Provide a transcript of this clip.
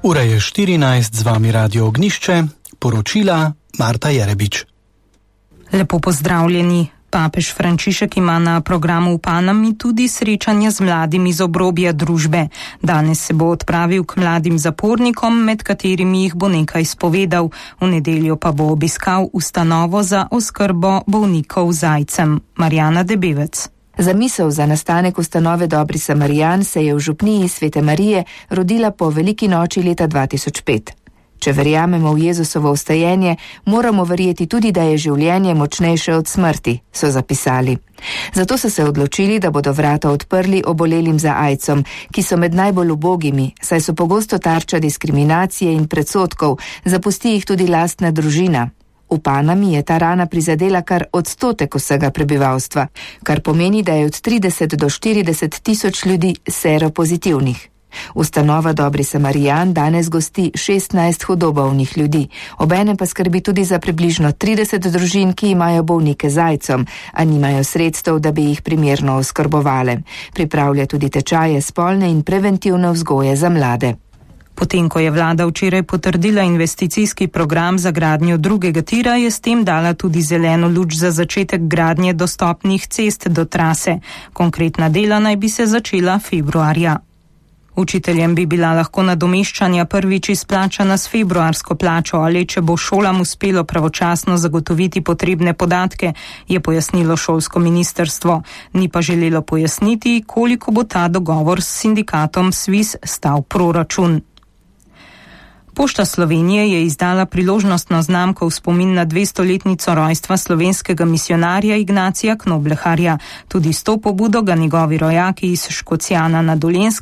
Ura je 14, z vami Radio Ognišče, poročila Marta Jerebič. Lepo pozdravljeni. Papež Frančišek ima na programu v Panami tudi srečanje z mladimi z obrobja družbe. Danes se bo odpravil k mladim zapornikom, med katerimi jih bo nekaj izpovedal. V nedeljo pa bo obiskal ustanovo za oskrbo bolnikov z aidsom. Marjana Debevec. Zamisel za nastanek ustanove Dobri Samarijan se je v župniji Svete Marije rodila po veliki noči leta 2005. Če verjamemo v Jezusovo vstajenje, moramo verjeti tudi, da je življenje močnejše od smrti, so zapisali. Zato so se odločili, da bodo vrata odprli obolelim za aidsom, ki so med najbolj ubogimi, saj so pogosto tarča diskriminacije in predsodkov, zapusti jih tudi lastna družina. V Panami je ta rana prizadela kar 1% vsega prebivalstva, kar pomeni, da je od 30 do 40 tisoč ljudi seropozitivnih. Ustanova Dobri Samarijan danes gosti 16 hudobolnih ljudi, obenem pa skrbi tudi za približno 30 družin, ki imajo bolnike z aidsom, a nimajo sredstev, da bi jih primerno oskrbovale. Pripravlja tudi tečaje spolne in preventivne vzgoje za mlade. Potem, ko je vlada včeraj potrdila investicijski program za gradnjo drugega tira, je s tem dala tudi zeleno luč za začetek gradnje dostopnih cest do trase. Konkretna dela naj bi se začela februarja. Učiteljem bi bila lahko nadomeščanja prvič izplačana s februarsko plačo, ali če bo šolam uspelo pravočasno zagotoviti potrebne podatke, je pojasnilo šolsko ministrstvo. Ni pa želelo pojasniti, koliko bo ta dogovor s sindikatom SVIZ stal proračun. Pošta Slovenije je izdala priložnostno znamko v spomin na 200-letnico rojstva slovenskega misijonarja Ignacija Knobleharja. Tudi s to pobudo ga njegovi rojaki iz Škocjana na Dolenjskem